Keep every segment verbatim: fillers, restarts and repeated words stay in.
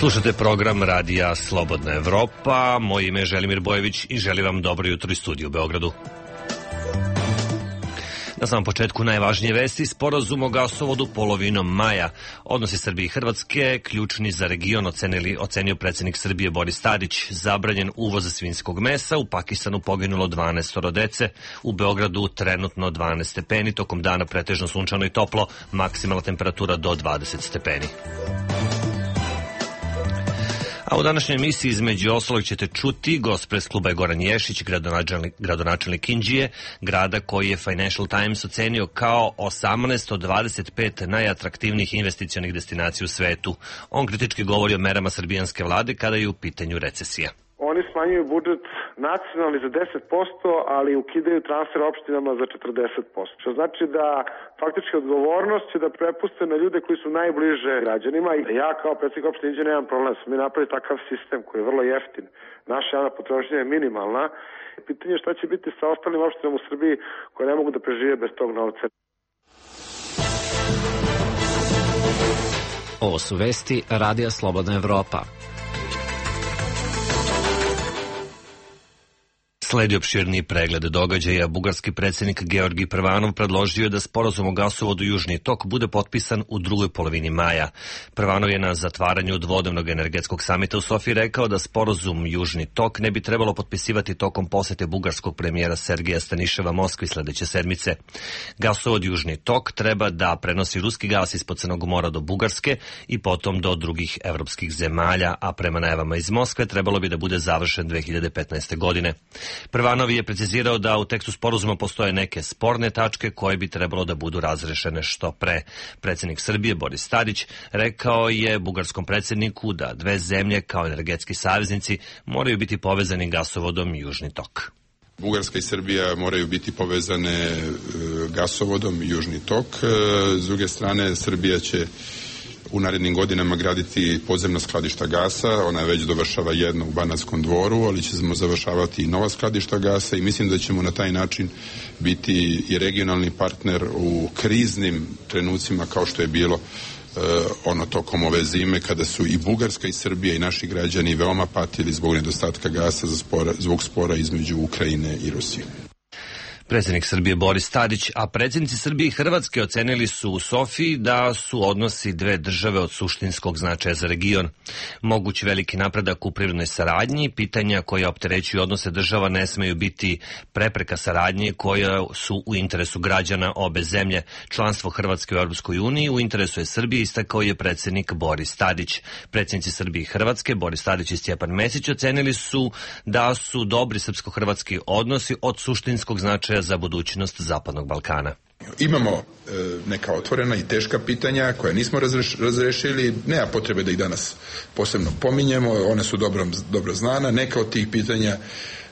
Slušate program Radija Slobodna Evropa. Moje ime je Želimir Bojević i želim vam dobro jutro iz studija u Beogradu. Na samom početku najvažnije vesti: sporazum o gasovodu polovinom maja. Odnosi Srbije i Hrvatske ključni za region, ocenili, ocenio predsjednik Srbije Boris Tadić. Zabranjen uvoz svinjskog mesa, u Pakistanu poginulo dvanaest dece, u Beogradu trenutno dvanaest stepeni, tokom dana pretežno sunčano i toplo, maksimalna temperatura do dvadeset stepeni. A u današnjoj emisiji između ostalog ćete čuti gost pres kluba je Goran Ješić, gradonačelnik, gradonačelnik Inđije, grada koji je Financial Times ocenio kao osamnaest od dvadeset pet najatraktivnijih investicionih destinacija u svetu. On kritički govori o merama srbijanske vlade kada je u pitanju recesija. Oni smanjuju budžet nacionalni za deset posto, ali ukidaju transfer opštinama za četrdeset posto. Što znači da faktički odgovornost će da prepuste na ljude koji su najbliže građanima. I ja kao predsjednik opštine Inđije nemam problem. Smo mi napravili takav sistem koji je vrlo jeftin. Naša javna potrošnja je minimalna. Pitanje je šta će biti sa ostalim opštinama u Srbiji koje ne mogu da prežive bez tog novca. Ovo su vesti Radija Slobodna Evropa. Sledi opširniji pregled događaja. Bugarski predsjednik Georgi Prvanov predložio je da sporazum o gasovodu Južni tok bude potpisan u drugoj polovini maja. Prvanov je na zatvaranju dvodnevnog energetskog samita u Sofiji rekao da sporazum Južni tok ne bi trebalo potpisivati tokom posete bugarskog premijera Sergeja Staniševa Moskvi sledeće sedmice. Gasovod Južni tok treba da prenosi ruski gas ispod Crnog mora do Bugarske i potom do drugih evropskih zemalja, a prema najavama iz Moskve trebalo bi da bude završen dve hiljade petnaeste. godine. Prvanov je precizirao da u tekstu sporazuma postoje neke sporne tačke koje bi trebalo da budu razrešene što pre. Predsjednik Srbije Boris Tadić rekao je bugarskom predsjedniku da dve zemlje kao energetski saveznici moraju biti povezani gasovodom Južni tok. Bugarska i Srbija moraju biti povezane gasovodom Južni tok. S druge strane, Srbija će u narednim godinama graditi podzemna skladišta gasa, ona već dovršava jedno u Banatskom dvoru, ali ćemo završavati i nova skladišta gasa i mislim da ćemo na taj način biti i regionalni partner u kriznim trenucima kao što je bilo uh, ono tokom ove zime kada su i Bugarska i Srbija i naši građani veoma patili zbog nedostatka gasa za spora, zbog spora između Ukrajine i Rusije. Predsjednik Srbije Boris Tadić, a predsjednici Srbije i Hrvatske ocenili su u Sofiji da su odnosi dve države od suštinskog značaja za region. Mogući veliki napredak u privrednoj saradnji, pitanja koja opterećuju odnose država ne smeju biti prepreka saradnje koja su u interesu građana obe zemlje. Članstvo Hrvatske u Europskoj uniji u interesu je Srbije, istakao je predsjednik Boris Tadić. Predsjednici Srbije i Hrvatske, Boris Tadić i Stjepan Mesić, ocenili su da su dobri srpsko-hrvatski odnosi od suštinskog značaja za budućnost Zapadnog Balkana. Imamo e, neka otvorena i teška pitanja koja nismo razreš, razrešili, nema potrebe da ih danas posebno pominjemo, one su dobro, dobro znana, neka od tih pitanja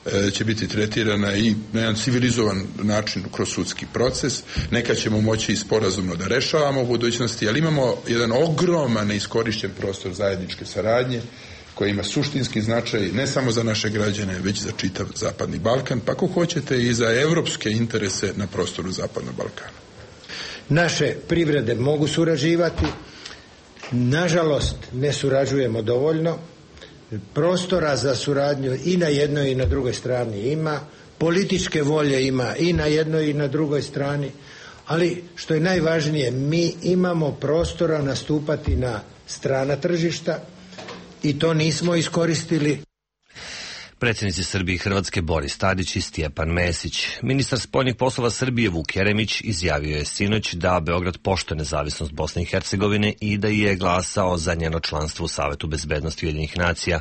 e, će biti tretirana i na jedan civilizovan način kroz sudski proces, neka ćemo moći i sporazumno da rešavamo u budućnosti, ali imamo jedan ogroman neiskorišćen prostor zajedničke saradnje koja ima suštinski značaj ne samo za naše građane, već za čitav Zapadni Balkan, pa ako hoćete i za evropske interese na prostoru Zapadnog Balkana. Naše privrede mogu surađivati, nažalost ne surađujemo dovoljno, prostora za suradnju i na jednoj i na drugoj strani ima, političke volje ima i na jednoj i na drugoj strani, ali što je najvažnije, mi imamo prostora nastupati na strana tržišta, i to nismo iskoristili. Predsjednici Srbije i Hrvatske Boris Tadić i Stjepan Mesić. Ministar spoljnih poslova Srbije Vuk Jeremić izjavio je sinoć da Beograd poštuje nezavisnost Bosne i Hercegovine i da je glasao za njeno članstvo u Savetu bezbednosti Ujedinjenih nacija.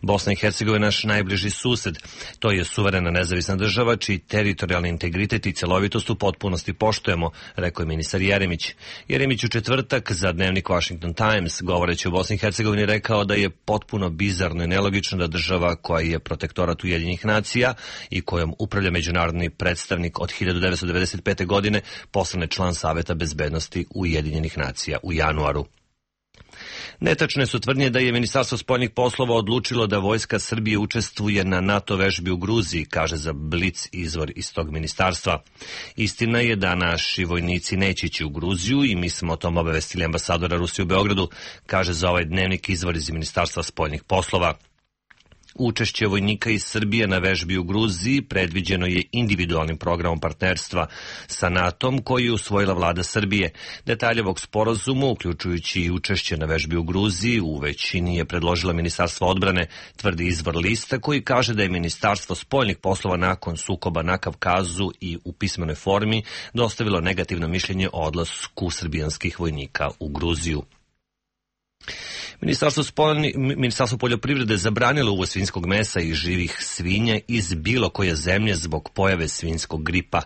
Bosna i Hercegovina je naš najbliži sused. To je suverena nezavisna država čiji teritorijalni integritet i celovitost u potpunosti poštujemo, rekao je ministar Jeremić. Jeremić u četvrtak za dnevnik Washington Times, govoreći o Bosni i Hercegovini, rekao da je potpuno bizarno i nelogično da država koja je protektorat Ujedinjenih nacija i kojom upravlja međunarodni predstavnik od hiljadu devetsto devedeset pete. godine postane član Saveta bezbednosti Ujedinjenih nacija u januaru. Netačne su tvrdnje da je Ministarstvo spoljnih poslova odlučilo da Vojska Srbije učestvuje na NATO vežbi u Gruziji, kaže za Blic izvor iz tog ministarstva. Istina je da naši vojnici neće ići u Gruziju i mi smo o tom obavestili ambasadora Rusije u Beogradu, kaže za ovaj dnevnik izvor iz Ministarstva spoljnih poslova. Učešće vojnika iz Srbije na vežbi u Gruziji predviđeno je individualnim programom partnerstva sa NATO-om koji je usvojila vlada Srbije. Detalje ovog sporazuma, uključujući i učešće na vežbi u Gruziji, u većini je predložila Ministarstvo odbrane, tvrdi izvor lista koji kaže da je Ministarstvo spoljnih poslova nakon sukoba na Kavkazu i u pismenoj formi dostavilo negativno mišljenje o odlasku srbijanskih vojnika u Gruziju. Ministarstvo, spoljni, Ministarstvo poljoprivrede zabranilo uvoz svinjskog mesa i živih svinja iz bilo koje zemlje zbog pojave svinjskog gripa.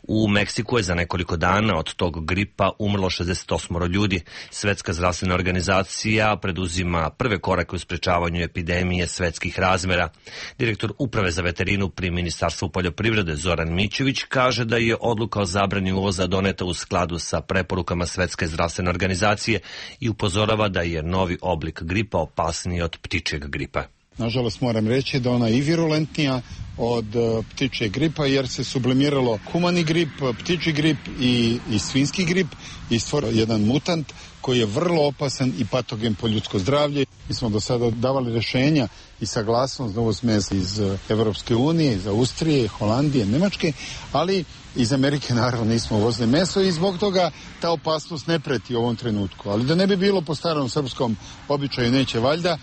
U Meksiku je za nekoliko dana od tog gripa umrlo šezdeset osam ljudi. Svetska zdravstvena organizacija preduzima prve korake u sprečavanju epidemije svetskih razmera. Direktor Uprave za veterinu pri Ministarstvu poljoprivrede Zoran Mićević kaže da je odluka o zabrani uvoza doneta u skladu sa preporukama Svetske zdravstvene organizacije i upozorava da je novi oblik gripa opasniji od ptičjeg gripa. Nažalost moram reći da ona je i virulentnija od ptičjeg gripa jer se sublimiralo humani grip, ptičji grip i, i svinjski grip i stvorio jedan mutant koji je vrlo opasan i patogen po ljudsko zdravlje. Mi smo do sada davali rješenja i saglasnost za uvoz mesa iz Evropske unije, iz Austrije, Holandije, Nemačke, ali iz Amerike naravno nismo uvozili meso i zbog toga ta opasnost ne preti u ovom trenutku. Ali da ne bi bilo po starom srpskom običaju neće valjda,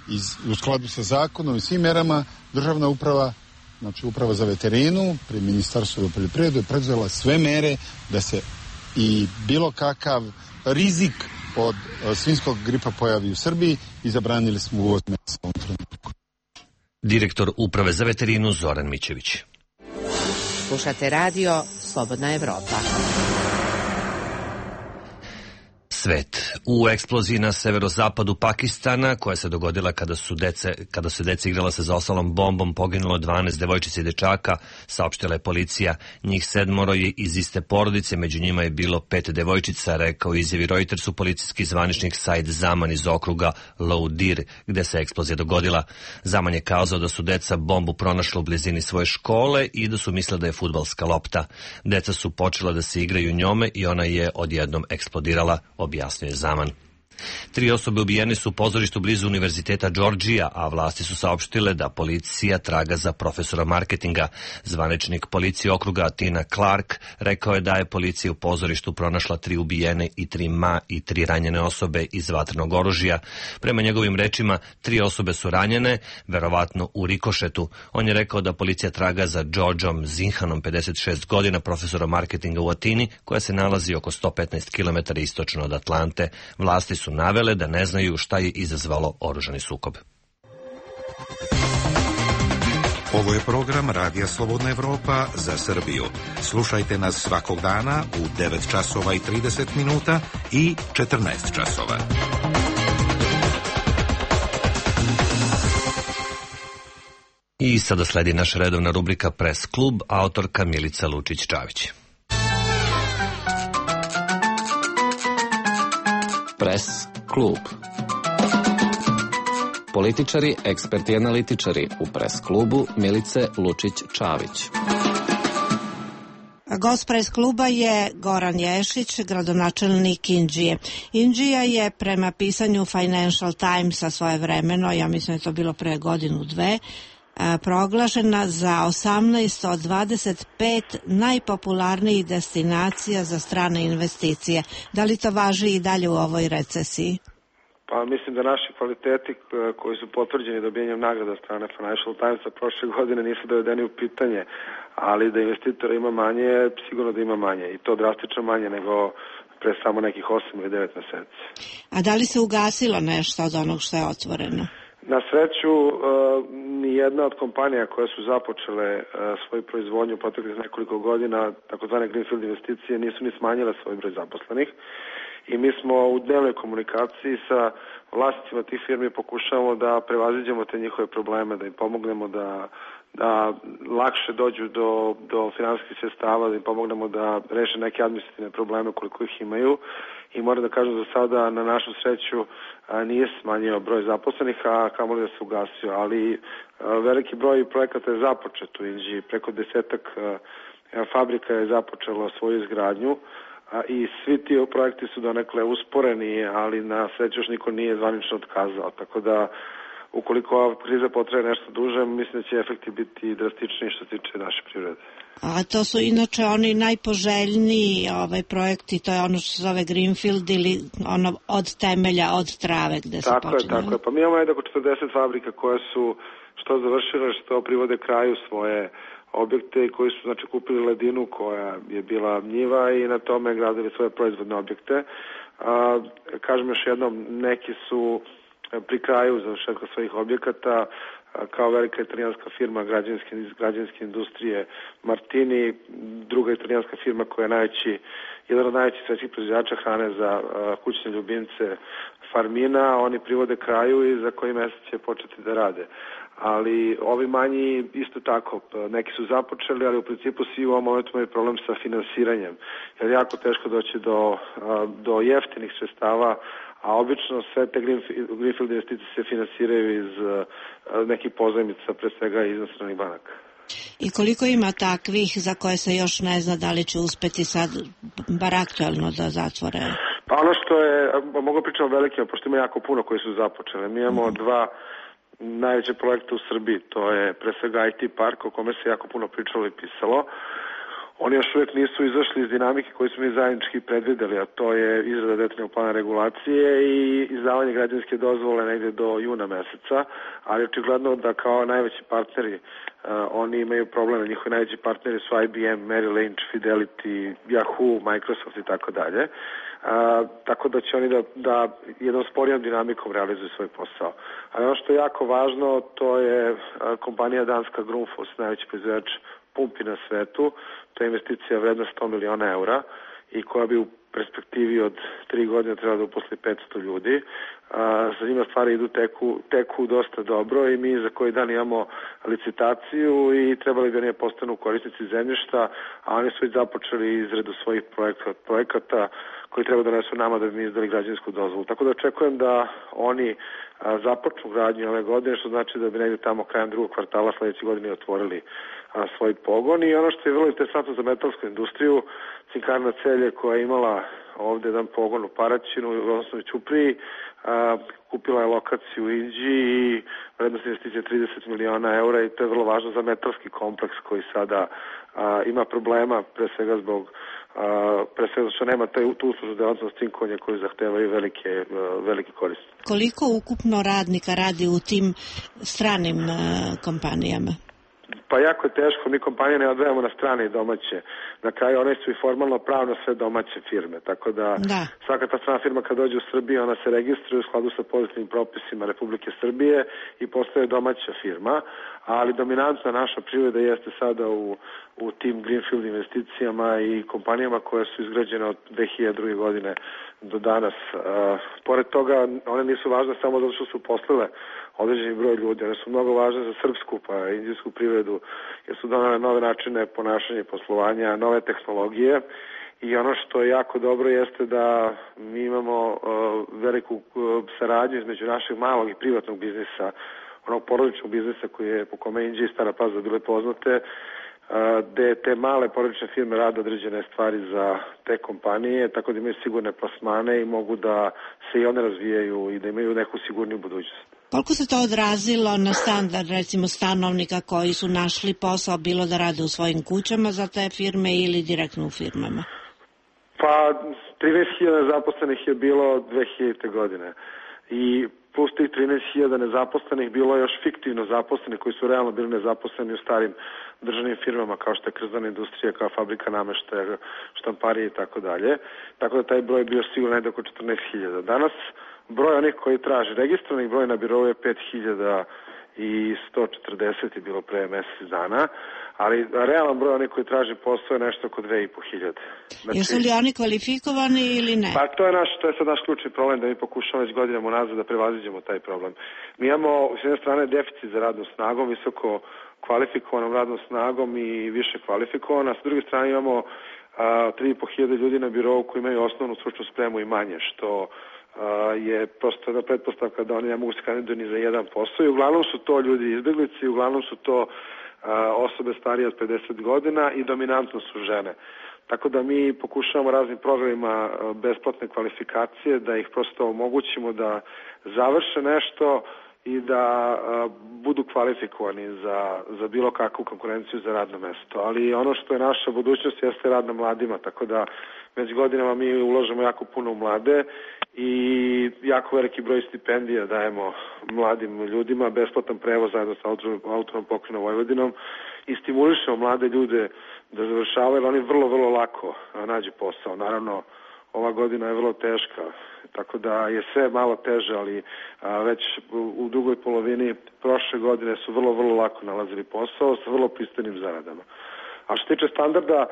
iz, u skladu sa zakonom i svim merama državna uprava, znači uprava za veterinu pri Ministarstvu poljoprivrede je preduzela sve mere da se i bilo kakav rizik od svinjskog gripa pojavi u Srbiji i zabranili smo uvoz mesa u ovom trenutku. Direktor Uprave za veterinu Zoran Mićević. Slušate radio Slobodna Evropa. Svet. U eksploziji na severozapadu Pakistana, koja se dogodila kada su dece, kada su deca igrala sa zaostalom bombom, poginulo dvanaest devojčica i dečaka, saopštila je policija. Njih sedmoro je iz iste porodice, među njima je bilo pet devojčica, rekao izjavi Reutersu policijski zvaničnik Said Zaman iz okruga Loudir, gde se eksplozija dogodila. Zaman je kazao da su deca bombu pronašla u blizini svoje škole i da su mislila da je fudbalska lopta. Deca su počela da se igraju njome i ona je odjednom eksplodirala, objasnio je Zaman. Tri osobe ubijene su u pozorištu blizu Univerziteta Georgija, a vlasti su saopštile da policija traga za profesora marketinga. Zvaničnik policije okruga Tina Clark rekao je da je policija u pozorištu pronašla tri ubijene i tri ma i tri ranjene osobe iz vatrenog oružja. Prema njegovim rečima, tri osobe su ranjene, verovatno u rikošetu. On je rekao da policija traga za Georgeom Zinhanom, pedeset šest godina, profesora marketinga u Atini, koja se nalazi oko sto petnaest kilometara istočno od Atlante. Vlasti su navele da ne znaju šta je izazvalo oružani sukob. Ovo je program Radija Slobodna Evropa za Srbiju. Slušajte nas svakog dana u devet časova i trideset minuta i četrnaest časova. I sada sledi naša redovna rubrika Press klub, autorka Milica Lučić-Čavić. Press klub. Političari, eksperti i analitičari u Press klubu Milice Lučić-Čavić. Gost Press kluba je Goran Ješić, gradonačelnik Inđije. Inđija je prema pisanju Financial Timesa svojevremeno, ja mislim da je to bilo pre godinu dve, proglašena za osamnaest od dvadeset pet najpopularnijih destinacija za strane investicije. Da li to važi i dalje u ovoj recesiji? Pa mislim da naši kvaliteti koji su potvrđeni dobijanjem nagrada strane Financial Timesa prošle godine nisu dovedeni u pitanje, ali da investitora ima manje, sigurno da ima manje i to drastično manje nego pre samo nekih osam ili devet meseci. A da li se ugasilo nešto od onog što je otvoreno? Na sreću, ni jedna od kompanija koje su započele svoju proizvodnju proteklih nekoliko godina, takozvane Greenfield investicije, nisu ni smanjile svoj broj zaposlenih i mi smo u dnevnoj komunikaciji sa vlasnicima tih firmi, pokušavamo da prevaziđemo te njihove probleme, da im pomognemo da da lakše dođu do, do finansijskih sredstava, da im pomognemo da reše neke administrativne probleme koliko ih imaju. I moram da kažem za sada, na našu sreću, a, nije smanjio broj zaposlenih, a kamoli da se ugasio, ali a, veliki broj projekata je započet u Inđiji, preko desetak a, a, fabrika je započelo svoju izgradnju, a, i svi ti projekti su donekle usporeni, ali na sreću još niko nije zvanično otkazao, tako da ukoliko ova kriza potraje nešto duže, mislim da će efekti biti drastičniji što se tiče naše privrede. A to su inače oni najpoželjniji ovaj projekti, to je ono što se zove Greenfield ili ono od temelja, od trave gde se tako počinje. Tako je, tako je. Pa mi imamo jednako četrdeset fabrika koje su što završile, što privode kraju svoje objekte koji su znači kupili ledinu koja je bila njiva i na tome gradili svoje proizvodne objekte. A, kažem još jednom, neki su pri kraju završetka svojih objekata, kao velika italijanska firma građevinske, građevinske industrije Martini, druga italijanska firma koja je najveći, jedan od najvećih svetskih proizvođača hrane za kućne ljubimce Farmina, oni privode kraju i za koji mesec će početi da rade. Ali ovi manji isto tako, neki su započeli, ali u principu svi u ovom momentu imaju problem sa finansiranjem, jer je jako teško doći do, do jeftinih sredstava, a obično sve te Greenfield investicije se finansiraju iz nekih pozajmica, pre svega iz inostranih banaka. I koliko ima takvih za koje se još ne zna da li će uspeti sad bar aktualno da zatvore? Pa ono što je, mogu pričati o velikima, pošto ima jako puno koji su započele. Mi imamo mm-hmm. dva najveće projekta u Srbiji, to je pre svega I T park o kome se jako puno pričalo i pisalo. Oni još uvijek nisu izašli iz dinamike koju smo mi zajednički predvideli, a to je izrada detaljnog plana regulacije i izdavanje građevinske dozvole negde do juna meseca, ali očigledno da kao najveći partneri uh, oni imaju probleme, njihovi najveći partneri su I B M, Merrill Lynch, Fidelity, Yahoo, Microsoft i tako dalje. Tako da će oni da, da jednom sporijom dinamikom realizuju svoj posao. Ali ono što je jako važno, to je uh, kompanija danska Grundfos, najveći proizvođač pumpi na svetu. To je investicija vredna sto miliona eura i koja bi u perspektivi od tri godine trebala da uposli petsto ljudi. A, za njima stvari idu teku, teku dosta dobro i mi za koji dan imamo licitaciju i trebali bi oni postanu korisnici zemljišta, a oni su već započeli izradu svojih projekata, projekata koji treba da donesu nama da bi mi izdali građevinsku dozvolu. Tako da očekujem da oni a, započnu gradnju ove godine, što znači da bi negdje tamo krajem drugog kvartala sledeće godine otvorili a, svoj pogon. I ono što je vrlo interesantno za metalsku industriju, Cinkarna Celje koja je imala ovde jedan pogon u Paraćinu, odnosno u Ćupriji, a, kupila je lokaciju u Inđiji i vrednost investicije trideset miliona eura i to je vrlo važno za metalski kompleks koji sada a, ima problema, pre svega zbog a, pre svega što nema taj, tu uslužnu delatnost cinkovanja koju zahtevaju velike, a, velike koristi. Koliko ukupno radnika radi u tim stranim a, kompanijama? Pa jako je teško, mi kompanije ne odvajamo na strane i domaće. Na kraju one su i formalno pravno sve domaće firme, tako da, da. Svaka ta strana firma kad dođe u Srbiju, ona se registruje u skladu sa pozitivnim propisima Republike Srbije i postaje domaća firma, ali dominantna naša privreda jeste sada u, u tim Greenfield investicijama i kompanijama koje su izgrađene od dve hiljade druge. godine do danas. Uh, pored toga, one nisu važne samo zato što su poslile određeni broj ljudi, one su mnogo važne za srpsku pa indijsku privredu, jer su donale nove načine ponašanja i poslovanja, nove tehnologije i ono što je jako dobro jeste da mi imamo uh, veliku uh, saradnju između našeg malog i privatnog biznisa, onog porodičnog biznisa koji je po kome Inđija i Stara Pazova bile poznate, gde te male porodične firme rade određene stvari za te kompanije, tako da imaju sigurne plasmane i mogu da se i one razvijaju i da imaju neku sigurniju budućnost. Koliko se to odrazilo na standard, recimo, stanovnika koji su našli posao, bilo da rade u svojim kućama za te firme ili direktno u firmama? Pa, trinaest hiljada zaposlenih je bilo dve hiljadite. godine i plus tih trinaest hiljada nezaposlenih bilo je još fiktivno zaposlenih koji su realno bili nezaposleni u starim državnim firmama kao što je krzdana industrija, kao fabrika nameštaja, štamparije i tako dalje. Tako da taj broj je bio sigurno negdje oko četrnaest hiljada. Danas broj onih koji traže registrovanih broj na birou je pet hiljada i sto četrdeset je bilo pre mesec dana, ali realan broj onih koji traži posao je nešto oko dve i po hiljade. Znači, jesu li oni kvalifikovani ili ne? Pa to je, naš, to je sad naš ključni problem, da mi pokušamo već godinama unazad da prevaziđemo taj problem. Mi imamo s jedne strane deficit za radnom snagom, visoko kvalifikovanom radnom snagom i više kvalifikovana, a s druge strane imamo tri i po hiljade ljudi na birovu koji imaju osnovnu stručnu spremu i manje, što a, je prosto jedna pretpostavka da oni ne mogu se kandidati ni za jedan posao i uglavnom su to ljudi izbeglici, uglavnom su to a, osobe starije od pedeset godina i dominantno su žene. Tako da mi pokušavamo raznim programima besplatne kvalifikacije da ih prosto omogućimo da završe nešto i da a, budu kvalifikovani za, za bilo kakvu konkurenciju za radno mesto. Ali ono što je naša budućnost jeste rad na mladima, tako da već godinama mi uložemo jako puno u mlade i jako veliki broj stipendija dajemo mladim ljudima, besplatan prevoz zajedno sa autonomnom pokrajinom Vojvodinom i stimulišemo mlade ljude da završavaju, jer oni vrlo, vrlo lako nađu posao. Naravno, ova godina je vrlo teška, tako da je sve malo teže, ali a, već u, u drugoj polovini prošle godine su vrlo, vrlo lako nalazili posao sa vrlo pristojnim zaradama. A što tiče standarda,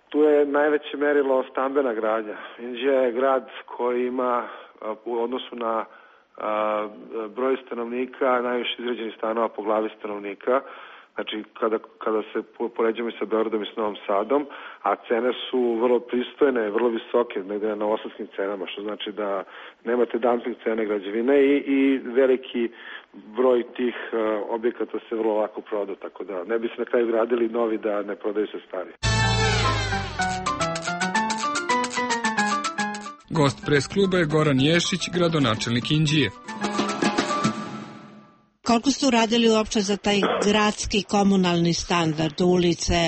tu je najveće merilo stambena gradnja. Inđija je grad koji ima a, u odnosu na a, broj stanovnika najviše izgrađenih stanova po glavi stanovnika. Znači, kada, kada se poređamo i sa Beogradom i s Novom Sadom, a cene su vrlo pristojne, vrlo visoke, negde na novosadskim cenama, što znači da nemate dumping cene građevine i, i veliki broj tih uh, objekata se vrlo lako proda, tako da ne bi se na kraju gradili novi da ne prodaju se stari. Gost pres kluba je Goran Ješić, gradonačelnik Inđije. Koliko ste uradili uopće za taj gradski komunalni standard, ulice,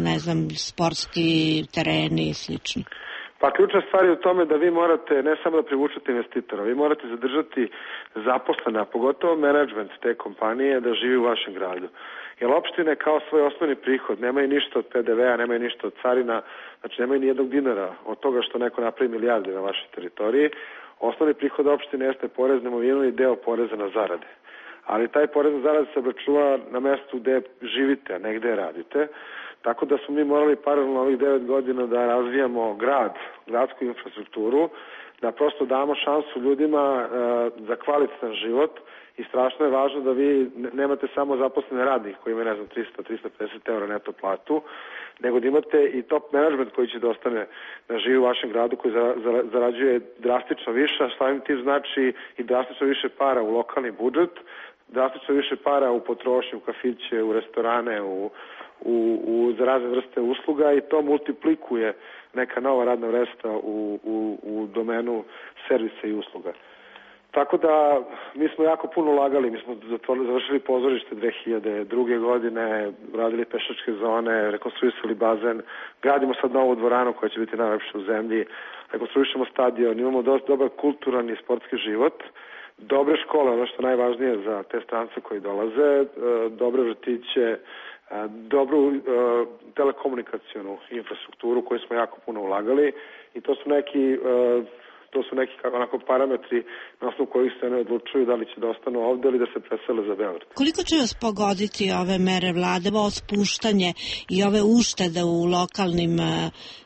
ne znam, sportski tereni i slično? Pa ključna stvar je u tome da vi morate ne samo da privučete investitora, vi morate zadržati zaposlene, a pogotovo menadžment te kompanije da živi u vašem gradu. Jer opštine kao svoj osnovni prihod nemaju ništa od P D V-a, nemaju ništa od carina, znači nemaju ni jednog dinara od toga što neko napravi milijarde na vašoj teritoriji. Osnovni prihod opštine jeste porez na imovinu i deo poreza na zarade. Ali taj porez na zarade se obračunava na mestu gde živite, a ne gde radite. Tako da smo mi morali paralelno ovih devet godina da razvijamo grad, gradsku infrastrukturu, da prosto damo šansu ljudima e, za kvalitetan život i strašno je važno da vi nemate samo zaposlene radnike koji imaju, ne znam, trista do trista pedeset eura neto platu, nego da imate i top management koji će da ostane da živi u vašem gradu, koji za, za, zarađuje drastično više, a samim tim znači i drastično više para u lokalni budžet, drastično više para u potrošnju, u kafiće, u restorane, u, u, u za razne vrste usluga i to multiplikuje neka nova radna vrsta u, u, u domenu servisa i usluga. Tako da mi smo jako puno ulagali, mi smo zatvorili, završili pozorište dve hiljade druge. godine, radili pešačke zone, rekonstruisali bazen, gradimo sad novu dvoranu koja će biti najlepša u zemlji, rekonstruišemo stadion, imamo dosta dobar kulturan i sportski život, dobre škole, ono što je najvažnije za te strance koji dolaze, dobre vrtiće, dobru telekomunikacionu infrastrukturu koju smo jako puno ulagali i to su neki to su neki onako parametri na osnovu kojih se ne odlučuju da li će da ostanu ovde ili da se presele za Beograd. Koliko će vas pogoditi ove mere vlade, ovo spuštanje i ove uštede u lokalnim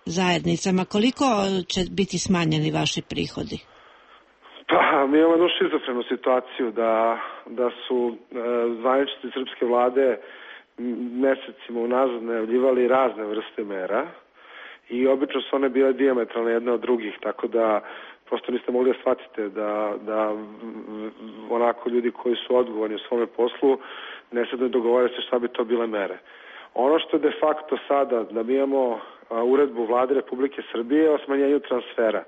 zajednicama, koliko će biti smanjeni vaši prihodi? Pa, mi imamo jednu šizofrenu situaciju da, da su e, zvaničnici srpske vlade mesecima unazad najavljivali razne vrste mera i obično su one bile dijametralne jedne od drugih, tako da prosto niste mogli da shvatite da, da onako ljudi koji su odgovorni u svome poslu ne sad ne dogovore se šta bi to bile mere. Ono što je de facto sada, da mi imamo a, uredbu Vlade Republike Srbije o smanjenju transfera.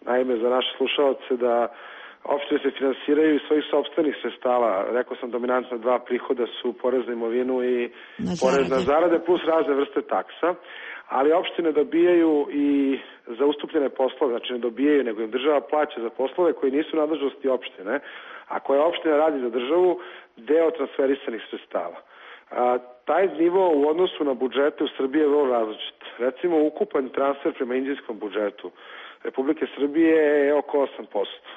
Naime, za naše slušalce da opštine se finansiraju iz svojih sopstvenih sredstava. Rekao sam, dominantno dva prihoda su porez na imovinu i na porez na zarade plus razne vrste taksa, ali opštine dobijaju i za ustupljene poslove, znači ne dobijaju, nego im država plaća za poslove koji nisu nadležnosti opštine, a koje opština radi za državu, deo transferisanih sredstava. A, taj nivo u odnosu na budžete u Srbiji je vrlo različit. Recimo, ukupan transfer prema indijskom budžetu Republike Srbije je oko osam posto.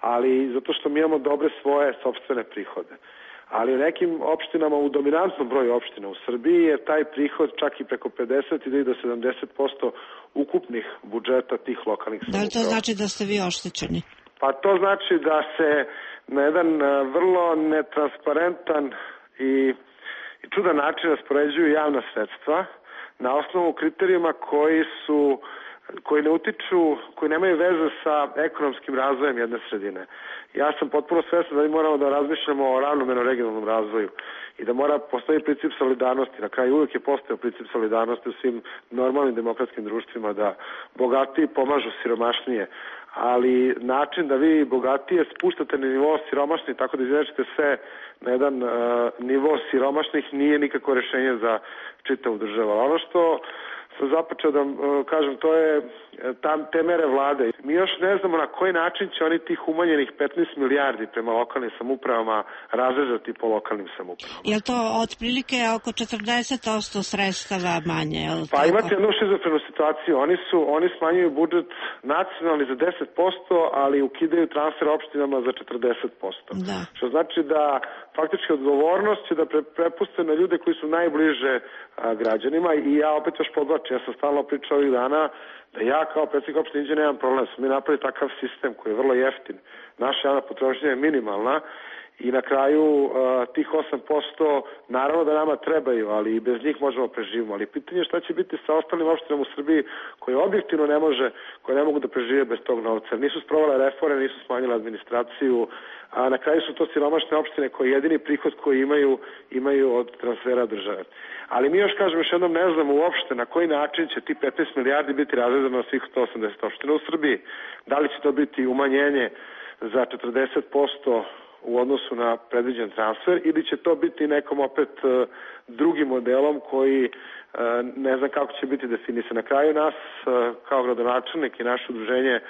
ali zato što mi imamo dobre svoje sopstvene prihode. Ali u nekim opštinama, u dominantnom broju opština u Srbiji je taj prihod čak i preko pedeset i do sedamdeset posto ukupnih budžeta tih lokalnih samouprava. Da li to znači da ste vi oštećeni? Pa to znači da se na jedan vrlo netransparentan i, i čudan način raspoređuju javna sredstva na osnovu kriterijuma koji su koji ne utiču, koji nemaju veze sa ekonomskim razvojem jedne sredine. Ja sam potpuno svestan da mi moramo da razmišljamo o ravnomernom regionalnom razvoju i da mora postoji princip solidarnosti. Na kraju uvijek je postojao princip solidarnosti u svim normalnim demokratskim društvima da bogatiji pomažu siromašnije, ali način da vi bogatije spuštate na nivo siromašnih tako da izvečete sve na jedan uh, nivo siromašnih nije nikako rešenje za čitavu državu. Ono što sam započeo da uh, kažem, to je tam te mere vlade. Mi još ne znamo na koji način će oni tih umanjenih petnaest milijardi prema lokalnim samoupravama razrezati po lokalnim samoupravama. Je li to otprilike oko četrdeset posto sredstava manje? Pa imate jednu šizofrenu situaciju. Oni su, oni smanjuju budžet nacionalni za deset posto, ali ukidaju transfer opštinama za četrdeset posto. Da. Što znači da faktički odgovornost će da pre, prepuste na ljude koji su najbliže a, građanima i ja opet još podlačim, ja sam stalno pričao ovih dana da ja kao predsjednik opštine Inđije nemam problem, smo mi napravili takav sistem koji je vrlo jeftin. Naša javna potrošnja je minimalna i na kraju uh, tih osam posto naravno da nama trebaju, ali i bez njih možemo preživimo. Ali pitanje je šta će biti sa ostalim opštinama u Srbiji koje objektivno ne može, koje ne mogu da prežive bez tog novca. Nisu sprovale reforme, nisu smanjile administraciju, a na kraju su to siromašne opštine koje jedini prihod koji imaju, imaju od transfera države. Ali mi još kažem, još jednom ne znamo uopšte na koji način će ti petnaest milijardi biti razrezano na svih sto osamdeset opština u Srbiji. Da li će to biti umanjenje za četrdeset posto u odnosu na predviđen transfer ili će to biti nekom opet uh, drugim modelom koji uh, ne znam kako će biti definisan. Na kraju nas uh, kao gradonačelnik i naše udruženje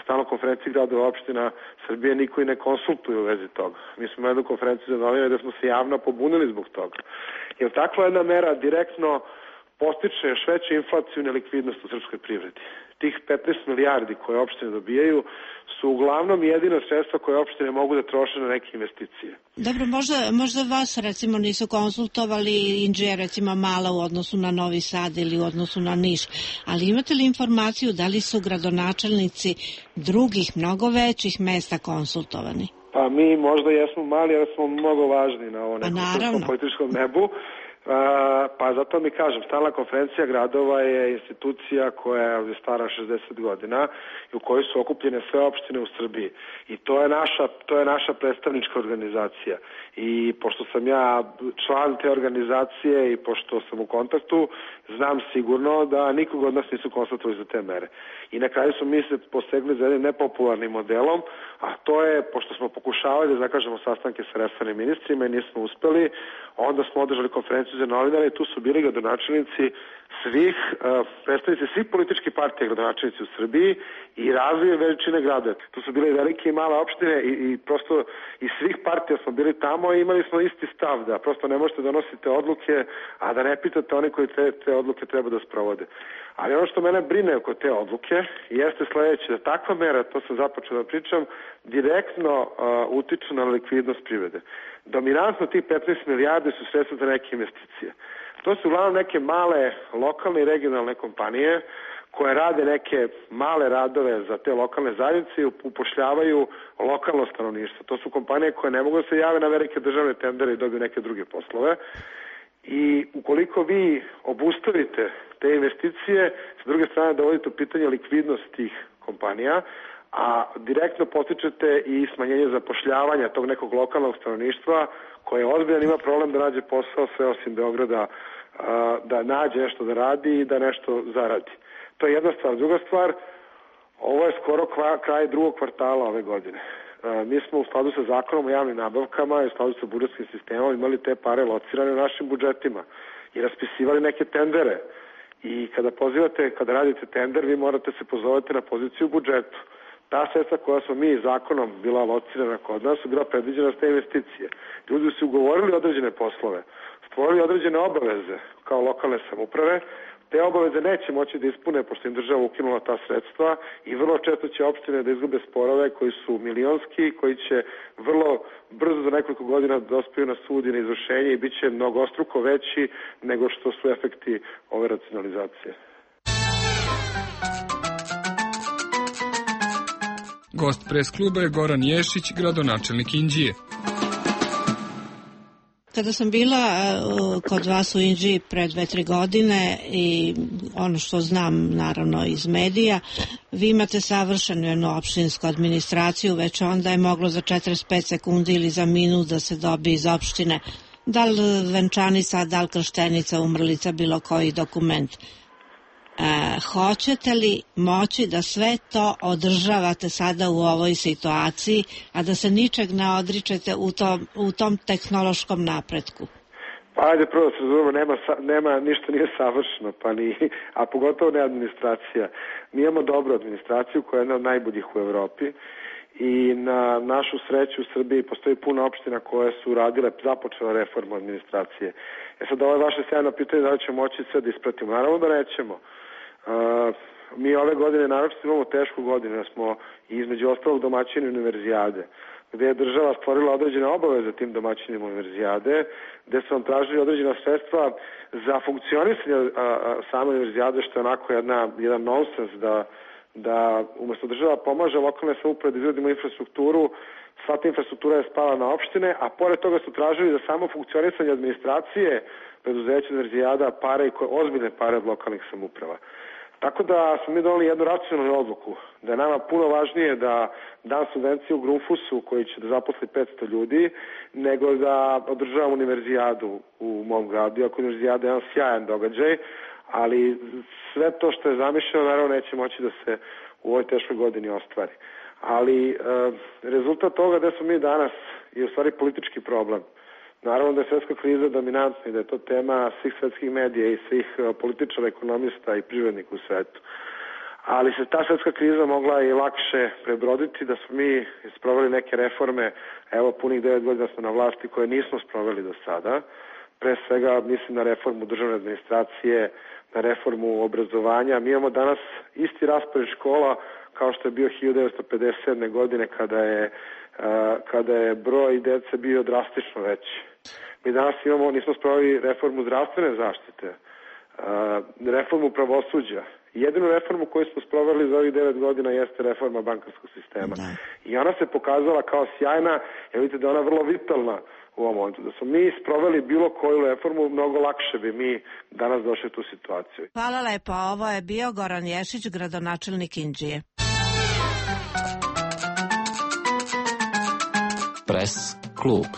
stalno konferenciji gradova opština Srbije niko i ne konsultuje u vezi toga. Mi smo imali jednu konferenciju za novinare da smo se javno pobunili zbog toga. Jer takva jedna mera direktno postiče još veću inflaciju i nelikvidnost u srpskoj privredi. Tih petnaest milijardi koje opštine dobijaju su uglavnom jedina sredstva koje opštine mogu da troše na neke investicije. Dobro, možda, možda vas recimo nisu konsultovali, Inđija je recimo mala u odnosu na Novi Sad ili u odnosu na Niš, ali imate li informaciju da li su gradonačelnici drugih mnogo većih mesta konsultovani? Pa mi možda jesmo mali, ali smo mnogo važni na ovom nekom političkom nebu. Uh, pa zato mi kažem, stalna konferencija gradova je institucija koja je stara šezdeset godina i u kojoj su okupljene sve opštine u Srbiji i to je naša, to je naša predstavnička organizacija i pošto sam ja član te organizacije i pošto sam u kontaktu, znam sigurno da nikog od nas nisu konstatovali za te mere i na kraju smo mi se posegli za jednim nepopularnim modelom, a to je, pošto smo pokušavali da zakažemo sastanke sa resornim ministrima i nismo uspeli, onda smo održali konferenciju za novinare i tu su bili gradonačelnici svih, uh, predstavnici svih političkih partija gradonačelnici u Srbiji i razvije veličine grada. Tu su bile velike i male opštine i, i prosto iz svih partija smo bili tamo i imali smo isti stav da prosto ne možete donositi odluke, a da ne pitate oni koji te, te odluke treba da sprovode. Ali ono što mene brine oko te odluke jeste sledeće, da takva mera, to sam započeo da pričam, direktno uh, utiču na likvidnost privrede. Dominantno tih petnaest milijardi su sredstva za neke investicije. To su uglavnom neke male lokalne i regionalne kompanije koje rade neke male radove za te lokalne zajednice i upošljavaju lokalno stanovništvo. To su kompanije koje ne mogu da se jave na velike državne tendere i dobiju neke druge poslove. I ukoliko vi obustavite te investicije, s druge strane dovodite u pitanje likvidnost tih kompanija, a direktno potičete i smanjenje zapošljavanja tog nekog lokalnog stanovništva koje ozbiljan ima problem da nađe posao sve osim Beograda, da nađe nešto da radi i da nešto zaradi. To je jedna stvar. Druga stvar, ovo je skoro kraj drugog kvartala ove godine. Mi smo u skladu sa zakonom o javnim nabavkama i u skladu sa budžetskim sistemom imali te pare locirane u našim budžetima i raspisivali neke tendere. I kada pozivate, kada radite tender, vi morate se pozovati na poziciju u budžetu. Ta sredstva koja smo mi zakonom bila locirana kod nas su bila predviđena za te investicije. Ljudi su ugovorili određene poslove, stvorili određene obaveze kao lokalne samouprave, te obaveze neće moći da ispune pošto im država ukinula ta sredstva i vrlo često će opštine da izgube sporove koji su milionski, koji će vrlo brzo za nekoliko godina dospiju na sud i na izvršenje i bit će mnogostruko veći nego što su efekti ove racionalizacije. Gost pres kluba je Goran Ješić, gradonačelnik Inđije. Kada sam bila kod vas u Inđiji pre dve, tri godine i ono što znam naravno iz medija, vi imate savršenu jednu opštinsku administraciju, već onda je moglo za četrdeset pet sekundi ili za minut da se dobije iz opštine da li venčanica, da li krštenica, umrlica, bilo koji dokument. E, hoćete li moći da sve to održavate sada u ovoj situaciji, a da se ničeg ne odričete u tom, u tom tehnološkom napretku? Pa ajde prvo se razumemo, nema, nema, ništa nije savršeno, pa ni, a pogotovo ne administracija. Mi imamo dobru administraciju koja je jedna od najboljih u Evropi i na našu sreću u Srbiji postoji puno opština koje su radile, započele reformu administracije. E sad ovo je vaše sjajno pitanje da li ćemo moći sve da ispratimo. Naravno da nećemo. Uh, mi ove godine naročito imamo tešku godinu, da smo između ostalog domaćini univerzijade, gde je država stvorila određene obaveze tim domaćinima univerzijade, gde su vam tražili određena sredstva za funkcionisanje uh, same univerzijade, što je onako jedna, jedan nonsens da, da umesto država pomaže lokalne samouprave da izgradimo infrastrukturu, sva ta infrastruktura je spala na opštine, a pored toga su tražili da samo funkcionisanje administracije preduzeća univerzijada pare i koje ozbiljne pare od lokalnih samouprava. Tako da smo mi doneli jednu racionalnu odluku, da je nama puno važnije da dam subvenciju Grunfusu koji će da zaposli petsto ljudi, nego da održavamo univerzijadu u mom gradu, iako univerzijada je jedan sjajan događaj, ali sve to što je zamišljeno naravno neće moći da se u ovoj teškoj godini ostvari. Ali e, rezultat toga da smo mi danas je u stvari politički problem. Naravno da je svjetska kriza dominantna i da je to tema svih svetskih medija i svih političara, ekonomista i privrednika u svetu. Ali se ta svjetska kriza mogla i lakše prebroditi da smo mi sproveli neke reforme, evo punih devet godina smo na vlasti koje nismo sproveli do sada. Pre svega mislim na reformu državne administracije, na reformu obrazovanja. Mi imamo danas isti raspored škola kao što je bio hiljadu devetsto pedeset sedme. godine kada je, kada je broj dece bio drastično veći. Mi danas imamo, nismo sproveli reformu zdravstvene zaštite, reformu pravosuđa. Jedinu reformu koju smo sproveli za ovih devet godina jeste reforma bankarskog sistema. Da. I ona se pokazala kao sjajna, jer vidite da je ona vrlo vitalna u ovom momentu. Da smo mi sproveli bilo koju reformu, mnogo lakše bi mi danas došli u tu situaciju. Hvala lepo. Ovo je bio Goran Ješić, gradonačelnik Inđije. Press klub.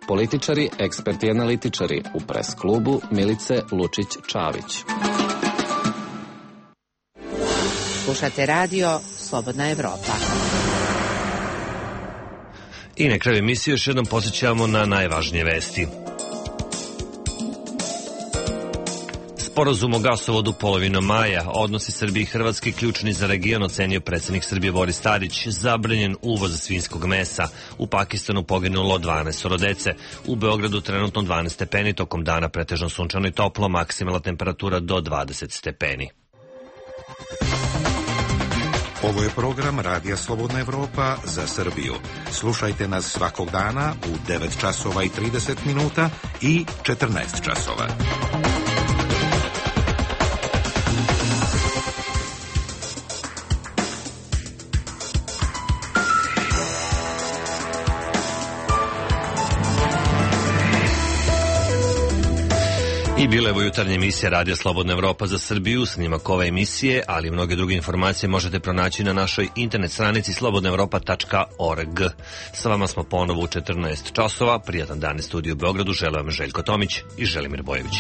Političari, eksperti i analitičari u Press klubu Milice Lučić-Čavić. Slušate radio Slobodna Evropa. I na kraju emisije još jednom podsjećamo na najvažnije vesti. Sporazum o gasovodu polovinom maja, odnosi Srbije i Hrvatske ključni za region, ocenio predsjednik Srbije Boris Tadić. Zabranjen uvoz svinjskog mesa. U Pakistanu poginulo dvanaest dece. U Beogradu trenutno dvanaest stepeni, tokom dana pretežno sunčano i toplo, maksimalna temperatura do dvadeset stepeni. Ovo je program Radija Slobodna Evropa za Srbiju. Slušajte nas svakog dana u devet časova i trideset minuta i četrnaest časova. I bila je ovo jutarnja emisija Radija Slobodna Evropa za Srbiju. Snimak ove emisije, ali i mnoge druge informacije možete pronaći na našoj internet stranici slobodna evropa tačka org. Sa vama smo ponovo u četrnaest časova. Prijatan dan iz studiju u Beogradu. Želim vam Željko Tomić i Želimir Bojević.